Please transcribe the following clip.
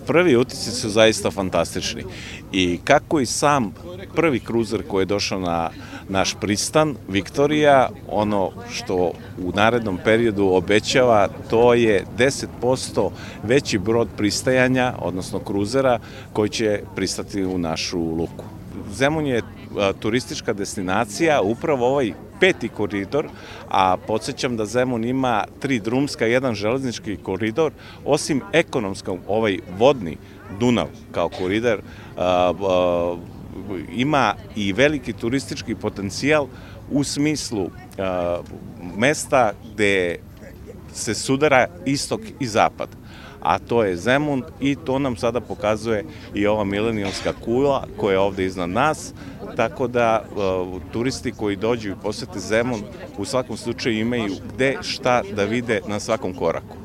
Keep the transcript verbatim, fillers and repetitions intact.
Prvi utisci su zaista fantastični i kako i sam prvi kruzer koji je došao na naš pristan, Viktorija, ono što u narednom periodu obećava, to je deset posto veći brod pristajanja, odnosno kruzera, koji će pristati u našu luku. Zemun je turistička destinacija, upravo ovaj peti koridor, a podsjećam da Zemun ima tri drumska, jedan železnički koridor, osim ekonomskog, ovaj vodni Dunav kao koridor, ima i veliki turistički potencijal u smislu mesta gde se sudara istok i zapad, a to je Zemun i to nam sada pokazuje i ova milenijumska kula koja je ovde iznad nas, tako da turisti koji dođu i posete Zemun u svakom slučaju imaju gde šta da vide na svakom koraku.